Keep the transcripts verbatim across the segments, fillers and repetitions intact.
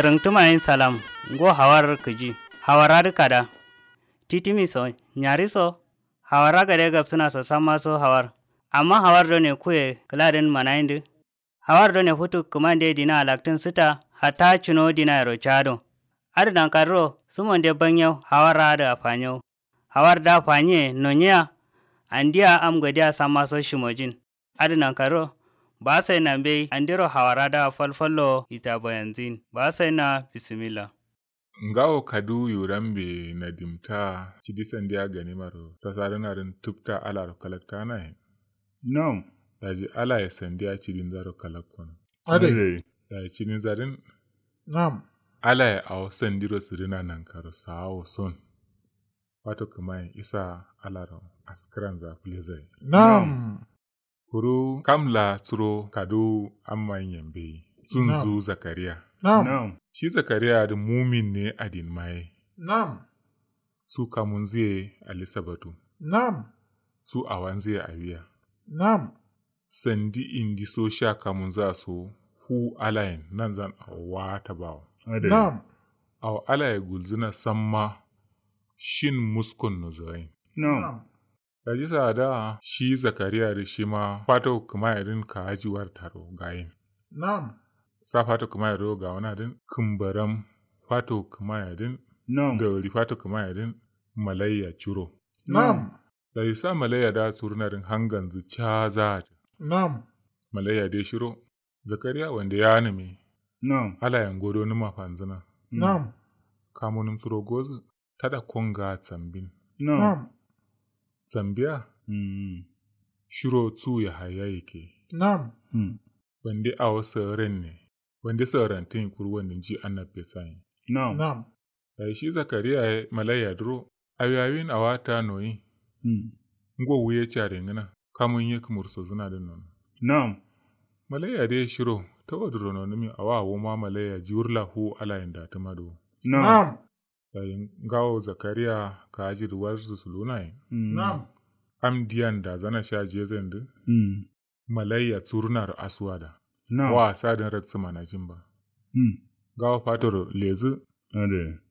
Rǝngtǝma yen salam. Ngo hawar kǝji. Hawar adǝ kada. Titimi so nyari so. Hawar agade gabsǝna so samma so hawar. Amma hawar done kuye kǝladǝn manayindǝ. Hawar done futu kǝmande dina alaktǝn sǝta. Hatta cuno dinayero cado. Adǝ nankadǝro sǝmonde banyau hawar adǝ afanyo. Hawar da fanyiye nonyiya. Andiya am godiya samma so shimojin. Adǝ nankaro. Ba sai na mbei andiro hawara da falfallo ita bayanzin ba sai na bisimilla. Ngawo kadu yurambe nadimta cidi sandiya ganimaro sasarǝnarǝn tubta alaro kalaktanayen. Nam. Daji alaye sandiya cidinzaro kalakkono. Adai. Daji cidinzarǝn. Nam. Alaye awo sandiro sǝrina nankaro sawo son. Fato kǝmayen isa alaro askǝranza fǝlezai. Nam. Kuru kam la suro kadu amma nyembeyi sunzu zakariya. Nam. Shi zakariya adǝ mumin ne adin maye. Nam. Su kamunzuye alisabatu. Nam. Su awanzuye awiya. Nam. Sandi indi so sha kamunzua so fu alayen nanzan awo wata bawo. Nam. Awo alaye gulzuna samma shin muskon no zawain. Nam. Daji saada shi zakariya dǝ shima fato kǝmayedǝn kaaji wartaro gayin. Nam. Sa fato kǝmayedǝ ro gawunadǝn kǝmbaram fato kǝmayedǝn. Nam. Dauri fato kǝmayedǝn malaiya curo. Nam. Daji sa malaiya da surunadǝn hanganzǝ cazaatǝ. Nam. Malaiya de shiro zakariya wande yanǝmi. Nam. Alayen godo nǝma fanzǝna. Nam. Kamunǝm suro gozǝ tada konga tsambin. Nam. Tsambiya. Shiro tsu yahaya yike. Nam. Wande awo saren ne. Wande sarantin kuru wande nji annabbe sayin. Nam. Nam. Dayi shi zakariya ye malaiya duro awi awin awa ta noyi. Ngo wuye care ngǝna kamun ye kǝmur sozǝna dǝn nono. Nam. Malaiya dǝ ye shiro tawo duro nonǝmi awa wuma malaiya jiwurla fu alayin datǝma dǝ wo. Nam. Dayi ngawo zakariya kaaji dǝ warzu sulunayin. Nam. Am diyan dazana sha jezen dǝ. Malaiya tsurunaro asuwada. Nam. Wa asadǝn raksǝ manajin ba. Ngawo fatoro lezǝ.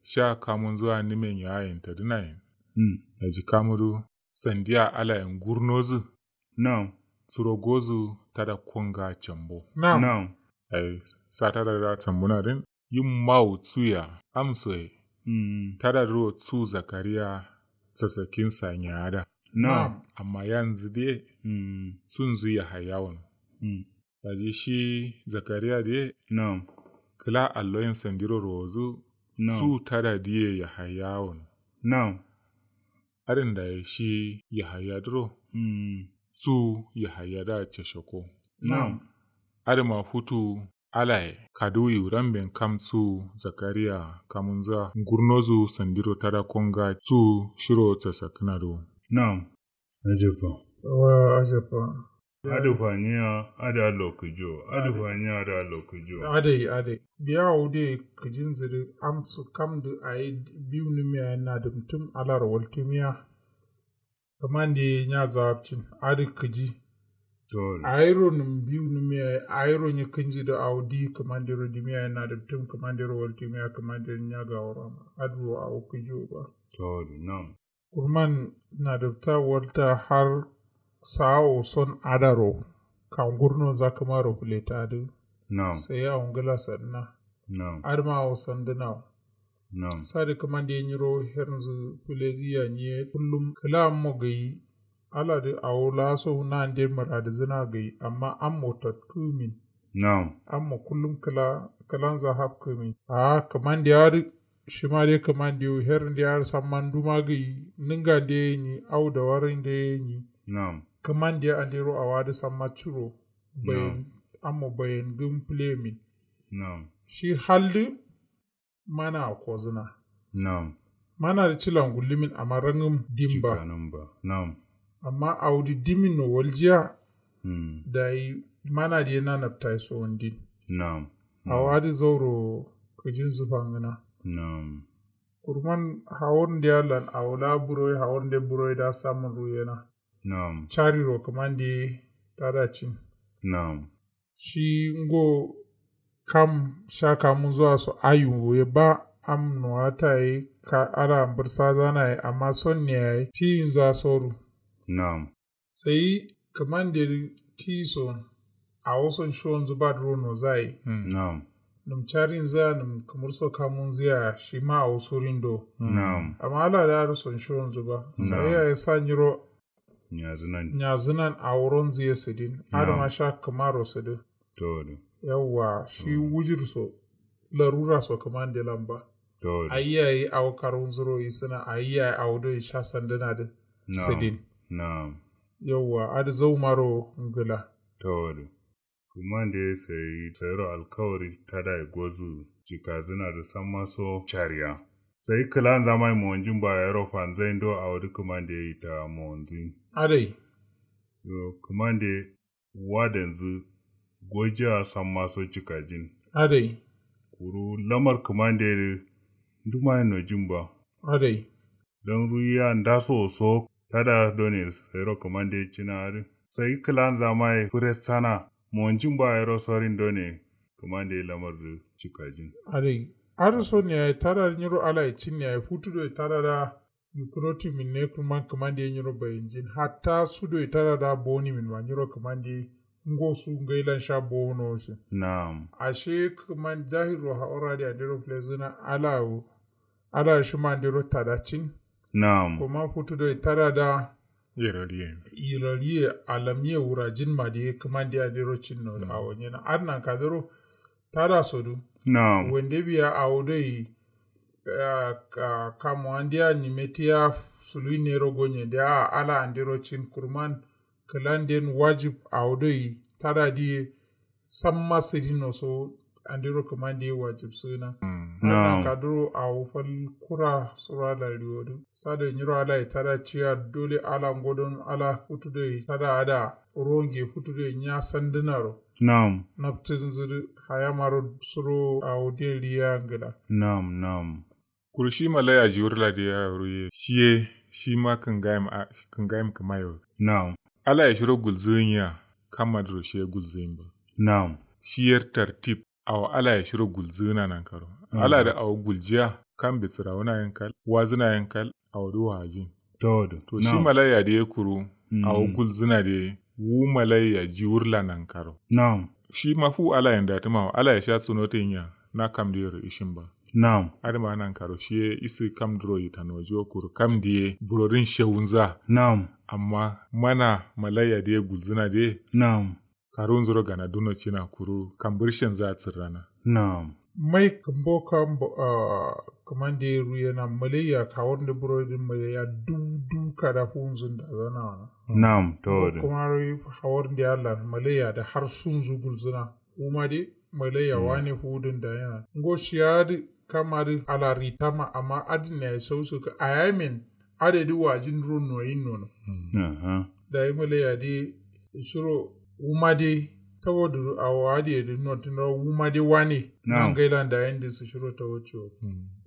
Sha kamunzua nimen yayin tadǝnayin. Daji kamudu sandiya alayen gurnozǝ. Nam. Suro gozǝ tada konga cambo. Nam. Nam. Ai sa tada da cambuna dǝn yim mawu tsuya amsoye. Tada duro tsu zakariya sasakin sanyada. Nam. Amma yanzǝ dǝ ye tsunzǝ yahaya wono. Daji shi zakariya dǝ ye. Nam. Kǝla alloyin sandiro rowozǝ. Nam. Tsu tada dǝ ye yahaya wono. Nam. Adǝn dayi shi yahaya dǝro. Tsu yahaya da cashako. Nam. Adǝma futu alaye kaduwi wuramben kam tsu zakariya kamunza ngurnozǝ sandiro tada konga tsu shiro casakkǝna dǝ wo. Nam. Ajabba. Wa ajabba. Adǝ faniya adǝ allo kǝjo. Adǝ faniya adǝ allo kǝjo. Adai adai biya awo dǝ ye kǝjinzǝ dǝ amsǝ kam dǝ ayi biwunǝmiya ye nadǝmtǝm alaro waltǝmiya. Kǝmande ye nya zawabcin adǝ kǝji. Ayiro nǝm biwunǝmiya ye ayiro nyi kǝnji dǝ awo diyi kǝmandero dimiya ye nadǝmtǝm kǝmandero waltǝmiya kǝmandero nya gaworo amma adǝ wo awo kǝji wo ba. Tawadu nam. Kurman nadǝbta walta har sa'a wo son adaro kangurnonza kǝmaro fǝletadǝ. Nam. Sai awo ngǝla sadǝna. Nam. Adǝma awo sandǝnawo. Nam. Sadǝ kǝmande nyiro hernzǝ fǝlezǝ ya nyiye kullum kǝla ammo gayi. Aladǝ awo laa so nande mǝradǝzǝna gayi amma ammo tatkǝmin. Nam. Ammo kullum kǝla kǝlanza hafkǝmin a'a kǝmande adǝ. Shima dai kǝmande wo her nde adǝ samma nduma gǝyi nǝnga nde ye nyi au dawari nde ye nyi. Nam. Kǝmande andero awadǝ samma curo bayen. Ammo bayen gǝm pǝlemin. Nam. Shi haldǝ mana akozǝna. Nam. Mana dǝ cila ngullumin amma rangǝm dimba. Nam. Amma audǝ dimin no waljiya. Dayi mana dǝ ye nanabtayi sowondin. Nam. Awadǝ zauro kǝjinzǝ fangǝna. Nam. Kurman hawur nde allan awo laa buroye hawur nde buroye da samun ruyena. Nam. Cariro kǝmande ye tada cin. Nam. Shi ngo kam sha kamunzua so ayuwu ye ba. Am nuwata ye ka ala mbǝrsazana ye amma sonne yayi tiyinza soru. Na'am. Sai kǝmande dǝ tiyi so awo son shiwonzǝ ba duro nozaye. Na'am. Nǝm carinzǝ ya nǝm kǝmur so kamunzǝ ya shima awo surin do. Na'am. Amma ala dǝ adǝ son shiwonzǝ ba. Sai yayi sa nyiro nyazǝnan awo ronzǝ ye sǝdin adǝ ma sha kǝmaro sǝdǝ. Yauwa shi wujir so larura so kǝmande lan ba. Ayi yayi awo karunzuro isǝna ayi yayi awo doi sha sandǝna dǝ sǝdin. Yauwa adǝ zaumaro ngǝla. Kǝmande sai sairo alkawari tadaye gozu cikazǝna dǝ samma so cariya. Sai kǝlanza mai monjin ba yero fanzain do awo dǝ kǝmande ita monzin. Adai. Yo kǝmande wadanzǝ gojiya samma so cikajin. Adai. Kuru lamar kǝmande dǝ nduma ye nojin ba. Adai. Don ruyiya ndaso so tada done sairo kǝmande cina adǝ sai kǝlanza maye fure sana monjin ba yero sorin done kǝmande lamar dǝ cikajin. Adai. Adǝ so ne yayi tada dǝ nyiro alaye cin ne yayi futu doi tada da. Yukuro timin ne kurman kǝmande ye nyiro bayinjin hatta su doi tada da boni min ma nyiro kǝmande ye ngo su ngailan sha bono shin. Na'am. Ashe kǝman jahiro haura de andero plezina ala wo. Ala shima andero tada cin. Na'am. Kuma futu doi tada da. Yirariye. Yirariye alamye wurajin ma de kǝmande andero cin no awo nyena adnan kadero. Tada sodu. Na'am. Wande biya awo doi. Kamu andiya nyime tiya sului nero gonye diya ala andiro cin kurman. Kǝlanden wajib awo doi tada diye. Samma sǝdin no so andiro kǝmande wajib sǝna. Na'am. Kaduro awo fal kura sura lariwo dǝ sado nyiro ala ye tada ciya dole ala ngodon ala futu doi tada ada. Ronge futu doi nya sandǝnaro. Na'am. Naptǝnzǝ dǝ hayamaro suro awo diye riya ngǝla. Na'am na'am. Kuru shi malaya jiwurla dǝ ya ruye shiye shima kǝngayim kǝmayo. Na'am. Alaye shiro gulzǝgǝn ya. Kamma dǝro shiye gulzǝgǝn ba. Na'am. Shiyer tartib. Awo alaye shiro gulzǝgǝna nankaro. Ala dǝ awo guljiya. Kam bitsǝrawuna yen kal wazǝna yen kal. Awo dǝ wajin. To shi malaya dǝ ye kuru. Awo gulzǝna dǝ ye wu malaya jiwurla nankaro. Na'am. Shima fu alayen datǝma wo alaye sha sunotin ya. Na kam dǝ yero ishin ba. Na'am. Adǝma nankaro shiye isǝ kam dǝro yitanojiwo kuru kam dǝ ye burodǝn shewunza. Na'am. Amma mana malaya dǝ ye gulzǝna dǝ ye. Na'am. Karunzuro gana duno cina kuru kambǝrshenza tsǝrrana. Na'am. Mai kǝmbo kambo ahh. Kǝmande ruyena malaiya kawurnde burodin malaiya duw duw kada fuwunzun dazana wana. Na'am tawadin. Kuma ruyi hawurnde allan malaiya da har sunzu gulzuna. Wuma de malaiya wane fuwudun dayena ngo shiya adǝ. Kam adǝ ala ritama amma adǝn yayi sausu kǝ ayamen. Adǝ dǝ wajin ro noyin nono. Dayi malaiya dǝ shiro wuma dǝ. Tawadǝ awo adǝ ye dǝ notǝn ro wuma dǝ wane. Nangailan dayin dǝ sǝ shiro tawaciwo.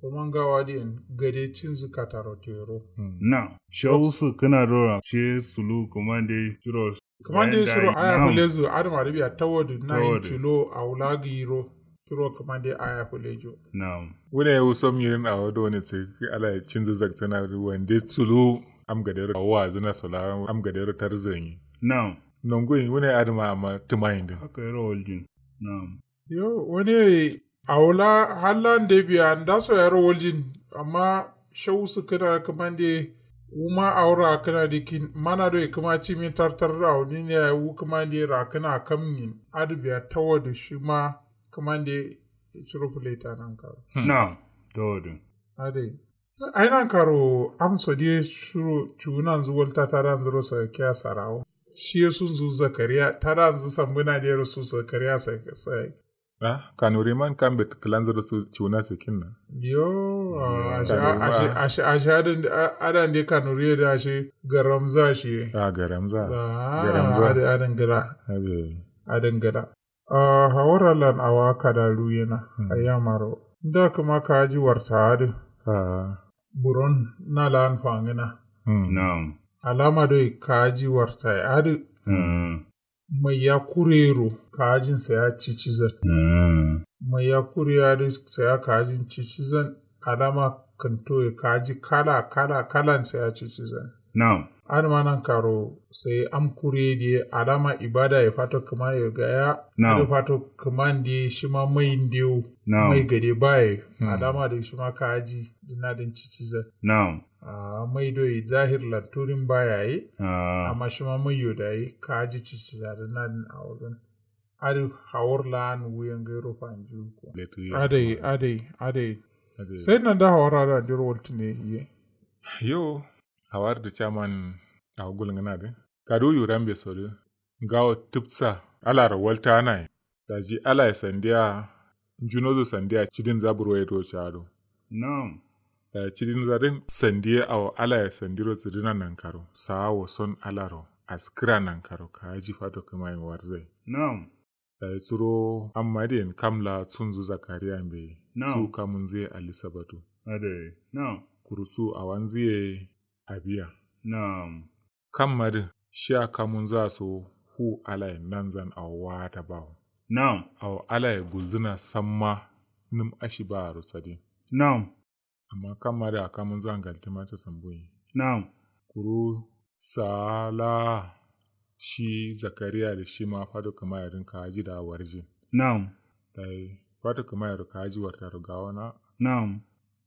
Kuma ngawo adǝ yen gade cinzǝ kataro tero. Na shawusu kǝna doro she sulu kǝmande shiro. Kǝmande shiro aya fǝlezu adǝma dǝ biya tawadǝ nayin culo awula gǝyiro. Shiro kǝmande aya fǝlejo. Na'am. Wune wuso mirin awo done sǝ ala cinzǝ zaksana wande sulu. Am gadero awo wazǝna sola am gadero tarzanyi. Na'am. Nonguyin wune adǝma amma tǝmayin dǝn. Haka yero waljin. Na'am. Yo wane awula hallan de biya ndaso yaro waljin. Amma shau sǝkkǝna kǝmande wuma awo rakkǝna dǝ kin mana doi kǝma cimin tartar awo nine yayi wu kǝmande rakkǝna kam nyin. Adǝ biya tawadǝ shima kǝmande. Curo fǝleta nankaro. Na'am. Tawadǝ. Adai. Ai nankaro amso diye shiro cuwunanzǝ walta tadanzǝro sagakiya sarawo. Shiye sunzǝ zakariya tadanzǝ sambǝna diyero su zakariya sagakiya. Ah kanuri man kambe kǝlanzǝro su cuwuna sakinna. Yo. Ashe adande kanuri ye dǝ ashe garamza shiye. Ah garamza. Adǝ adǝ ngǝla. Adǝ ngǝla. Ahh hawar allan awa kada luyena. Ayyamaro nda kǝma kaji warta adǝ. Ahh buron na la'an fangǝna. Na'am. Alama doi kaji warta ye adǝ. Ahh maiya kurero kajin saya cicizan. Ahh Mai ya kuri ya dǝ sai ya kajin cicizan. Alama kǝnto ye kaji kala kala kalan sai ya cicizan. Na'am. Adǝ ma nan karo sai am kuri ye diye alama ibada ye fato kǝma ye gaya. Na'am. Adǝ fato kǝman diye shima mai ndiyo. Na'am. Mai gade baye. Alama dǝ shima kaji dǝna dǝn cicizan. Na'am. Mai do ye zahir lanturin bayaye. Amma shima mai yo daye kaji ciciza dǝna dǝn awozan. Adǝ hawar la'an wuyen gairo fanjiwu ko. Adai adai adai. Sai nanda hawar adǝ andiro waltǝne ye. Yo. Hawar dǝ caman awo gulngǝna dǝ kadu yurambe so dǝ ngawo tǝpsa alaro waltanaye. Daji alaye sandiya njunozu sandiya cidin za burwaye do cado. Na'am. Dayi cidinza dǝn sandiye awo alaye sandiro sǝdǝna nankaro sa'a wo son alaro askǝra nankaro kaji fato kǝmaye warzai. Na'am. Dayi suro amma diyen kam la sunzu zakariya mbeyi. Na'am. Su kamunzu ye ali sabatu. Adai. Na'am. Kuru su awanzu ye abiya. Na'am. Kamma dǝ shiya kamunzu a so fu alaye nanzan awo wata bawo. Na'am. Awo alaye gulzǝna samma nǝm ashi baaro sadin. Na'am. Amma kamma dǝ a kamunzu a ngaltǝma casambuyi. Na'am. Kuru sa'a laa shi zakariya dǝ shima fato kǝmaye dǝn kaji da warjin. Na'am. Dayi fato kǝmayero kaji wartaro gawona. Na'am.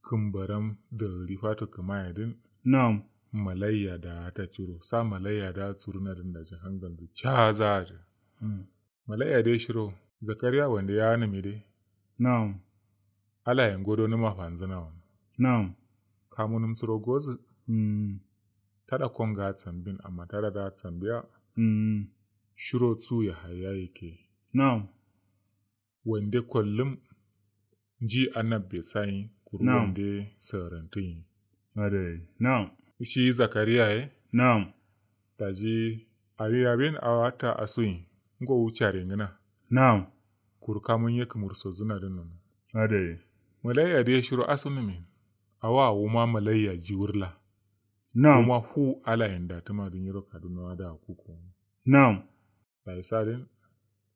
Kǝmbaram dagǝri fato kǝmaye dǝn. Na'am. Malaiya da ta curo sa malaiya da suruna dǝn daji hangalnzu caza adǝ. Malaiya dǝ ye shiro zakariya wande yanǝmi dǝ. Na'am. Alaye ngodo nǝma fanzǝna wo. Na'am. Kamunǝm suro gozǝ. Tada konga sambin amma tada da sambiya. Shiro su yahaya yikke. Na'am. Wande kollum nji annabbe sayin kuru wande sǝrantǝyin. Adai. Na'am. Shi zakariya ye. Na'am. Daji awi abin awo atta asuyin. Ngowu care ngǝna. Na'am. Kuru kamun ye kǝmur sozǝna dǝn nono. Adai. Malaiya dǝ ye shiro asunǝmin. Awa wuma malaiya jiwurla. Na'am. Wuma fu alayen datǝma dǝ nyiro kaduna wa da kuku. Na'am. Dayi sadin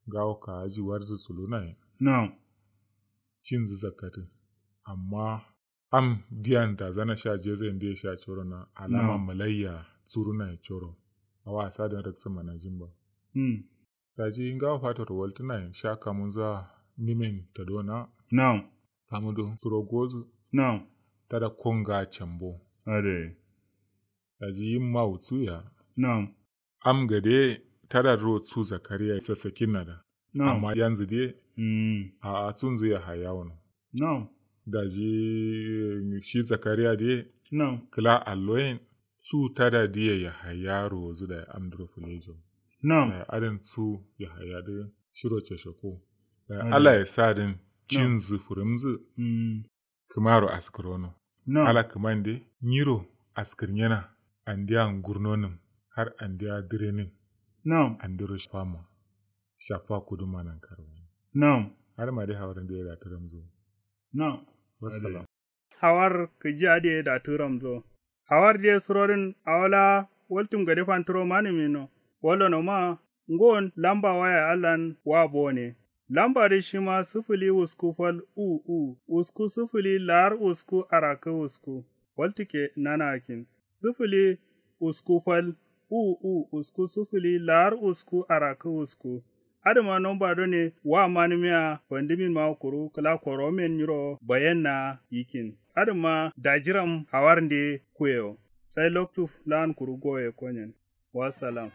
ngawo kaji warzǝ sulunaye. Na'am. Cinzǝ zakkatǝ. Amma am diyan dazana sha jezayin diye sha corona alama malaiya surunaye coro. Awa sadin raksǝ manajin ba. Daji ngawo fatoro waltǝnaye sha kamunza nimen tadona. Na'am. Kamudo suro gozǝ. Na'am. Tada konga cambo. Adai. Daji yimma wutsuya. Na'am. Am gade tada duro su zakariya sassakinna da. Amma yanzu dai. A'a sunzu yahaya wono. Daji shi zakariya dai. Kǝla alloyin su tada diye yahaya rozu da am duro fulejo. Dayi adin su yahaya dai shiro ceshoko. Dayi alaye sadin cinzu furumzu. Kǝmaro askǝrono. Ala kǝmande nyiro askǝrnyena. Andeya ngurnonǝm har andeya dǝrenǝm. Andero shafama shafa kuduma nankaro. Adǝma dai hawar ndiye datǝ ramzo. Wassalam. Hawar kǝji adǝ ye datǝ ramzo. Hawar diye surodǝn awo laa waltǝm gade fantǝro manǝmino. Wallonoma ngon lamba waya allan wa bone. Lamba dǝ shima sǝfǝli wusku fal u u wusku sǝfǝli lar wusku arakkǝ wusku. Waltǝkke nanaakin sǝfǝli wusku fal u u wusku sǝfǝli lar wusku arakkǝ wusku. Adǝma nomba done wa manǝmiya fandǝmin ma kuru kǝla koromen nyiro bayenna yikkin. Adǝma dajiram hawarnde kuyewo. Sai loktu lan kuru goye konyen. Wassalam.